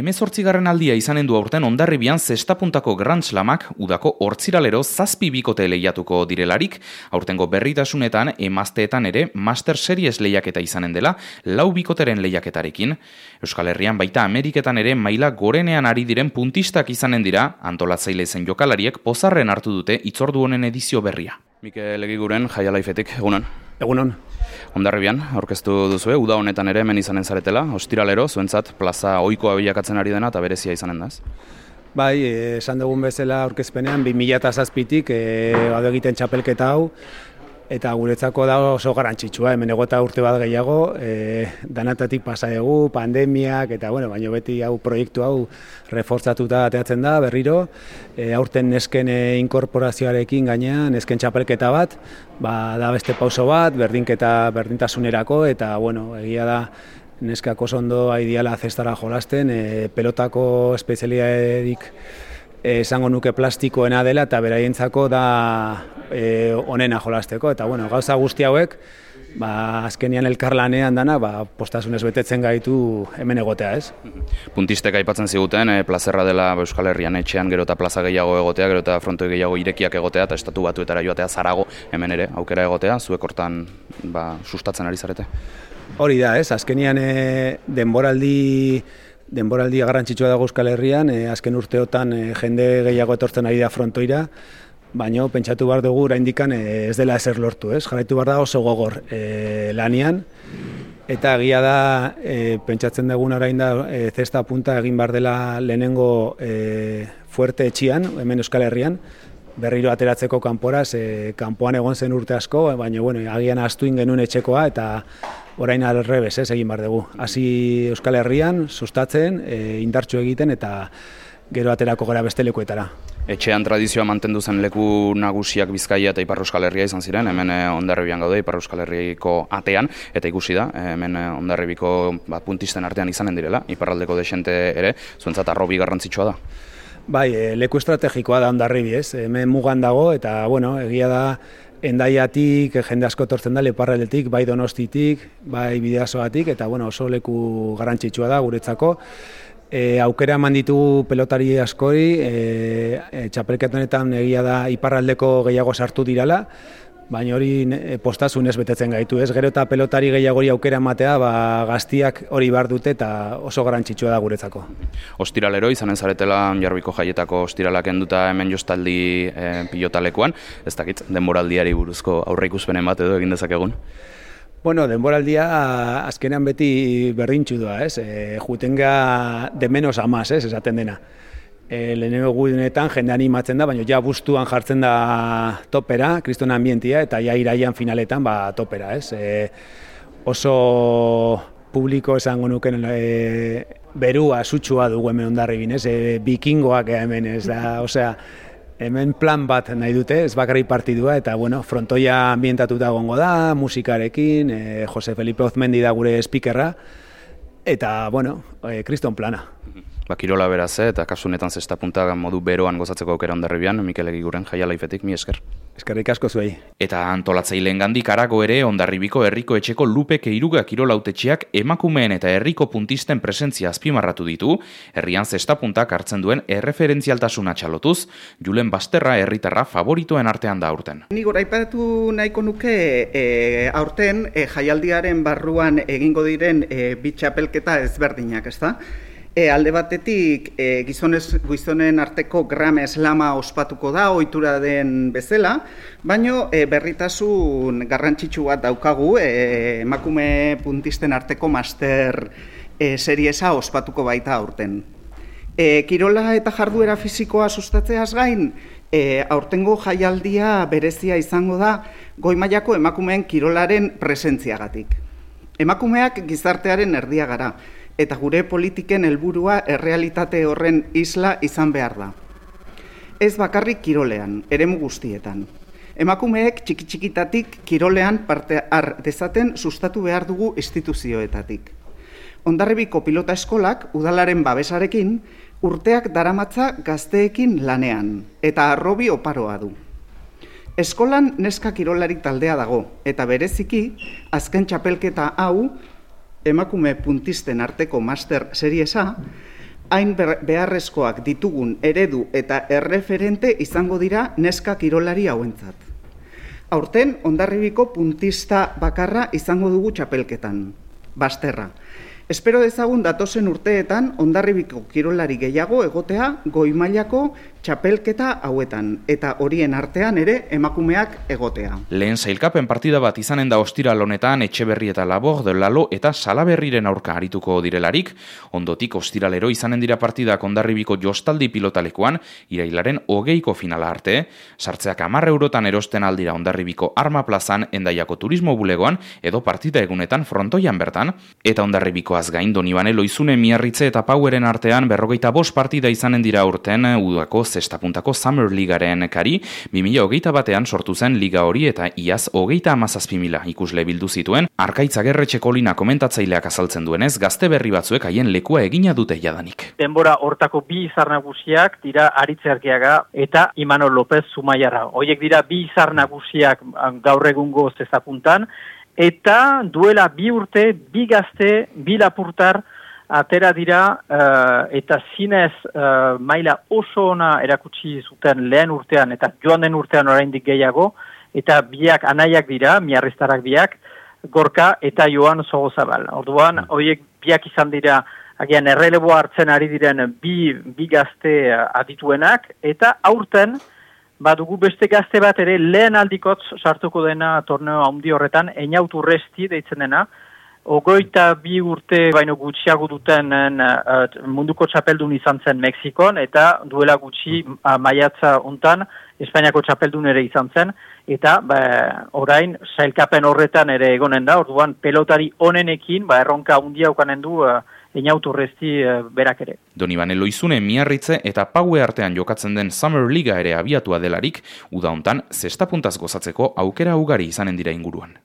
18. aldia izanen du aurten Hondarribian zestapuntako Grand Slamak udako hortziralero 7 bikote lehiatuko direlarik, aurtengo berritasunetan emazteetan ere Master Series lehiaketa izanen dela 4 bikoteren lehiaketarekin. Euskal Herrian baita Ameriketan ere maila gorenean ari diren puntistak izanen dira, antolatzaile zen jokalariek pozarren hartu dute hitzordu honen edizio berria. Mikel Egiguren, Jaia Laifetik, egunon. Egunon. Hondarribian, aurkeztu duzue, uda honetan ere hemen izanen zaretela, ostiralero, zuentzat plaza ohikoa bilakatzen ari dena eta berezia izanen da, ez? Bai, esan dugun bezala aurkezpenean 2007tik badu egiten txapelketa hau, eta guretzako da oso garrantzitsua, hemen egota urte bat gehiago, danatatik pasa dugu, pandemiak, eta baina beti hau proiektu hau reforzatuta ateatzen da, berriro, aurten nesken inkorporazioarekin gainean, nesken txapelketa bat, da beste pauso bat, berdintasunerako, eta egia da, neskak oso ondo aidiala zestara jolasten, pelotako espezialidaderik esango nuke plastikoena dela eta beraientzako da onena jolasteko, eta gauza guzti hauek azkenian elkarlanean dana postasunez betetzen gaitu hemen egotea, ez? Puntistek aipatzen ziguten, plazerra dela Euskal Herrian etxean gero eta plaza gehiago egotea, gero eta frontoi gehiago irekiak egotea eta estatu batuetara joatea zarago hemen ere aukera egotea, zuek hortan sustatzen ari zarete? Hori da, ez? Azkenian denboraldia garrantzitsua dago Euskal Herrian, azken urteotan jende gehiago etortzen ari da frontoira, baina pentsatu behar dugu oraindikan ez dela ezer lortu, ez? Jarraitu behar da oso gogor lanian, eta egia da pentsatzen dugun orain da zesta punta egin behar dela lehenengo fuerte etxian, hemen Euskal Herrian, berriro ateratzeko kanporaz, kanpoan egon zen urte asko, baina agian ahaztu genuen etxekoa, eta orain alrebez, egin behar dugu. Hasi Euskal Herrian, sustatzen, indartsu egiten, eta gero aterako gara beste lekuetara. Etxean tradizioa mantendu zen leku nagusiak Bizkaia eta Ipar Euskal Herria izan ziren, hemen Hondarribian gaude, Ipar Euskal Herriko atean, eta ikusi da, hemen Hondarribiko puntisten artean izanen direla, iparraldeko desente ere, zuentzat arrobi garrantzitsua da. Bai, leku estrategikoa da Hondarribi, ez? Hemen mugan dago, eta egia da, Endaiatik, jende asko etortzen da, Iparraldetik, bai Donostitik, bai Bidasoatik, eta oso leku garrantzitsua da guretzako. Aukera eman ditugu pelotari askori, txapelketa honetan egia da Iparraldeko gehiago sartu dirala, baina hori postasunez betetzen gaitu, ez? Gero eta pelotari gehiagori aukera ematea, gaztiak hori behar dute eta oso garrantzitsua da guretzako. Ostiralero izanen zaretela Jarbiko jaietako ostiralak enduta hemen jostaldi pilotalekuan, ez dakit, denboraldiari buruzko aurreikuspenen bat edo egin dezakegun? Denboraldia azkenean beti berdintsu da, ez? Jutenga de menos a más, ez? Esaten dena. Lehenengo gudenetan jende animatzen da, baina ja bustuan jartzen da topera, kriston ambientia, eta ja iraian finaletan topera, ez? Oso publiko esango nuken berua sutsua dugu hemen Hondarribin, ez? Bikingoak hemen, ez da, osea, hemen plan bat nahi dute, ez bakarrik partidua, eta frontoia ambientatuta egongo da, musikarekin, Jose Felipe Ozmendi da gure speakerra, eta, kriston plana. Kirola beraz, eta kasu honetan zestapunta modu beroan gozatzeko aukera Hondarribian, Mikel Egiguren, Jaia Laifetik, mi esker. Eskerrik asko zuei. Eta antolatzailengandik harago ere Hondarribiko herriko etxeko Lupe Keiruga kirola hautetsiak emakumeen eta herriko puntisten presentzia azpimarratu ditu, herrian zestapuntak hartzen duen erreferentzialtasuna txalotuz, Julen Basterra herritarra favoritoen artean da aurten. Ni goraipatu nahiko nuke aurten jaialdiaren barruan egingo diren bi txapelketa ezberdinak, ezta? Alde batetik gizonen arteko Grand Slama ospatuko da, ohitura den bezala, baino berritasun garrantzitsu bat daukagu, emakume puntisten arteko Master Seriesa ospatuko baita aurten. Kirola eta jarduera fisikoa sustatzeaz gain, aurtengo jaialdia berezia izango da goi mailako emakumeen kirolaren presentziagatik. Emakumeak gizartearen erdia gara, eta gure politiken helburua errealitate horren isla izan behar da. Ez bakarrik kirolean, eremu guztietan. Emakumeek txiki-txikitatik kirolean parte har dezaten sustatu behar dugu instituzioetatik. Hondarribiko pilota eskolak udalaren babesarekin urteak daramatza gazteekin lanean, eta arrobi oparoa du. Eskolan neska kirolari taldea dago, eta bereziki azken txapelketa hau emakume puntisten arteko Master Seriesa, hain beharrezkoak ditugun eredu eta erreferente izango dira neska kirolari hauentzat. Aurten, Hondarribiko puntista bakarra izango dugu txapelketan, Basterra. Espero dezagun datozen urteetan Hondarribiko kirolari gehiago egotea goi mailako txapelketa hauetan, eta horien artean ere emakumeak egotea. Lehen sailkapen partida bat izanen da ostiral honetan Etxeberri eta Laborde, Lalo eta Salaberriren aurka arituko direlarik, ondotik ostiralero izanen dira partidak Hondarribiko jostaldi pilotalekuan, irailaren 20ko finala arte, sartzeak 10 eurotan erosten aldira Hondarribiko Arma Plazan, Hendaiako Turismo Bulegoan, edo partida egunetan frontoian bertan, eta Hondarribikoaz gain Donibane Loizune Miarritze eta Poweren artean 45 partida izanen dira urten udako zestapuntako Summer Ligaren kari, 2021ean sortu zen liga hori eta iaz 37.000 ikusle bildu zituen, Arkaitz Agerretxe Kolina komentatzaileak azaltzen duenez, gazte berri batzuek haien lekua egina dute jadanik. Denbora hortako bi izar nagusiak dira Aritze Argiaga eta Imanol López Zumaiarra. Hoiek dira bi izar nagusiak gaur egungo zestapuntan, eta duela 2 urte, 2 gazte, 2 lapurtar atera dira eta zinez maila oso ona erakutsi zuten lehen urtean eta joan den urtean oraindik gehiago, eta biak anaiak dira, miarriztarak biak, Gorka eta Joan Sogozabal. Orduan, horiek biak izan dira, agian erreleboa hartzen ari diren bi gazte adituenak, eta aurten, badugu beste gazte bat ere lehen aldikotz sartuko dena torneo handi horretan, Einaut Urresti deitzen dena, 22 urte baino gutxiago duten munduko txapeldun izan zen Mexikon, eta duela gutxi maiatza hontan Espainiako txapeldun ere izan zen, eta orain sailkapen horretan ere egonen da, orduan pelotari onenekin erronka handia ukanen du Einaut Urresti berak ere. Donibane Loizune Miarritze eta Paue artean jokatzen den Summer Liga ere abiatua delarik, uda hontan zestapuntaz gozatzeko aukera ugari izanen dira inguruan.